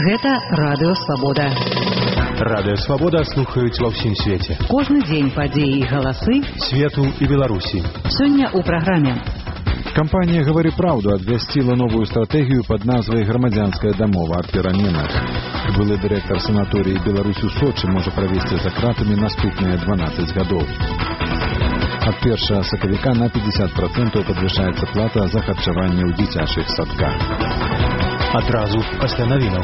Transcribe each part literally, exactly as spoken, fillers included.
Гэта Радыё Свабода. Радыё Свабода слухаюць ва ўсім свеце. Кожны дзень падзеі і галасы свету і Беларусі. Сёння ў праграме. Кампанія «Гавары праўду» абвясціла новую стратэгію пад назвай «Грамадзянская дамова аб пераменах». Былы дырэктар санаторыі «Беларусь у Сочы» можа правесці за кратамі наступныя дванаццаць гадоў. Ад першага сакавіка на пятьдесят процентов падвышаецца плата за харчаванне ў дзіцячых садках. Адразу пасля навінаў.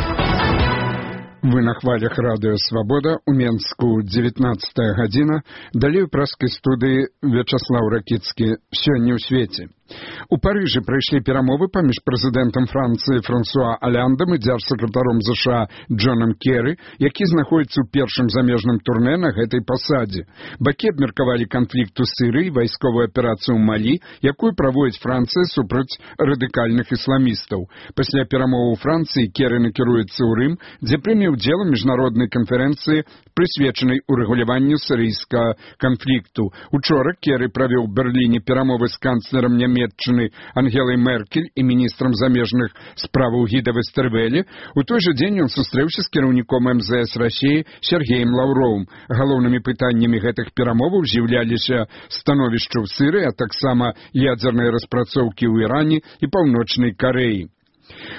Вы на хвалях Радыё Свабода, у Менску дзевятнадцатая гадзіна, далей у праскай студыі Вячаслаў Ракіцкі «Сёння ў свеце». У Парыжы прайшлі перамовы паміж прэзідэнтам Францыі Франсуа Алляндам і дзяржсакратаром ЗША Джонам Керры, які знаходзіцца ў першым замежным турне на гэтай пасадзе. Бакі абмеркавалі канфлікт у Сірыі, вайсковую аперацыю ў Малі, якую праводзіць Францыя супраць радыкальных ісламістаў. Пасля перамоваў у Францыі Керры накіруецца ў Рым, дзе прыме ўдзел у міжнароднай канферэнцыі, прысвечанай урэгуляванню сірыйскага канфлікту. Учора Керры правёў у Берліне перамовы з канцлерам Нямецкай Ангелай Меркель і міністрам замежных справаў Гіда Вестервелі. У той жа дзень ён сустрэўся з кіраўніком эм зэ эс Расіі Сергеем Лаўровым. Галоўнымі пытаннямі гэтых перамоваў з'яўляліся становішча ў Сірыі, а таксама ядзерныя распрацоўкі ў Іране і Паўночнай Карэі.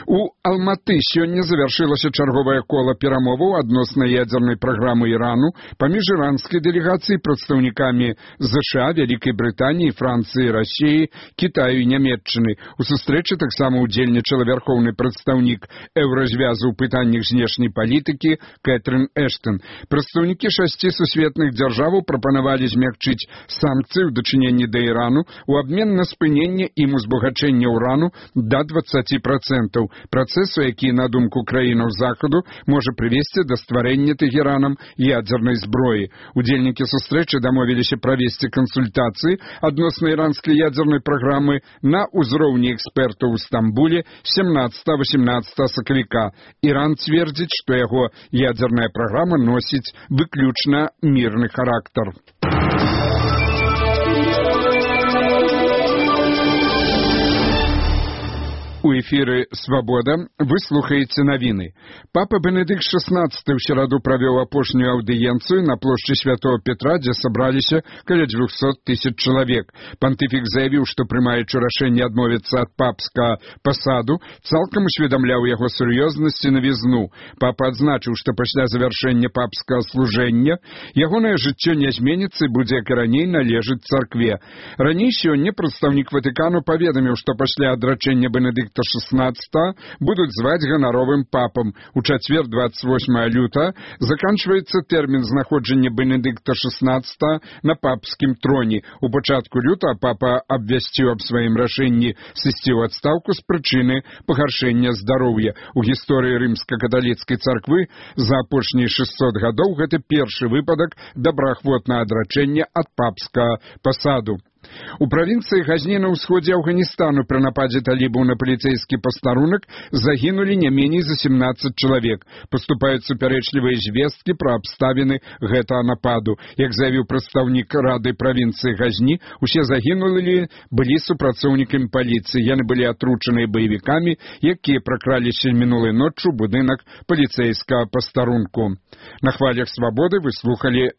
У Алматы сёння завяршылася чарговае кола перамоваў адносна ядзернай праграмы Ірану паміж іранскай дэлегацыяй прадстаўнікамі ЗША, Вялікай Брытаніі, Францыі, Расіі, Кітаю і Нямецчыны. У сустрэчы таксама удзельнічала вярхоўны прадстаўнік еўразвязу ў пытаннях знешняй палітыкі Кэтрын Эштон. Прадстаўнікі шасці сусветных дзяржаваў прапанавалі змякчыць санкцыі ў дачыненні да Ірану у абмен на спыненне ім узбагачэння ўрану да дваццаці процентаў. Працэсу, які, на думку краінаў Захаду, можа прывесці да стварэння Тэхеранам ядзернай зброі. Удзельнікі сустрэчы дамовіліся правесці кансультацыі адносна іранскай ядзернай праграмы на ўзроўні экспертаў у Стамбуле семнадцатага-восемнадцатага сакавіка. Іран цвердзіць, што яго ядзерная праграма носіць выключна мірны характар. У эфіры «Свабода» вы слухаеце навіны. Папа Бенедыкт шаснаццаты ў сераду правёў апошнюю аўдыенцыю на плошчы Святого Петра, дзе сабраліся каля дзвюхсот тысяч чалавек. Пантыфік заявіў, што прымаючы рашэнне адмовіцца ад папскага пасаду, цалкам усведамляў яго сур'ёзнасць і навізну. Папа адзначыў, што пасля завяршэння папскага служэння ягонае жыццё не зменіцца і будзе, як і раней, належыць царкве. Раней сёння прадстаўнік Ватыкану паведаміў, што пасля адрачэння Бенедыкта шаснаццатага будуць зваць ганаровым папам. У чацвер двадцать восьмага лютага заканчваецца тэрмін знаходжання Бенедыкта шаснаццатага на папскім троне. У пачатку лютага папа абвясціў аб сваім рашэнні сысці ў адстаўку з прычыны пагаршэння здароўя. У гісторыі рымска-каталіцкай царквы за апошнія шэсцьсот гадоў гэта першы выпадак добраахвотнага адрачэння ад папскага пасаду. У правінцыі Газні на ўсходзе Афганістану пры нападзе талібаў на паліцэйскі пастарунак загінулі не меней за семнаццаць чалавек. Паступаюць супярэчлівыя звесткі пра абставіны гэтага нападу. Як заявіў прадстаўнік рады правінцыі Газні, усе загінулі былі супрацоўнікамі паліцыі. Яны былі атручаныя баевікамі, якія пракраліся мінулай ноччу ў будынак паліцэйскага пастарунку. На хвалях Свабоды вы слухалі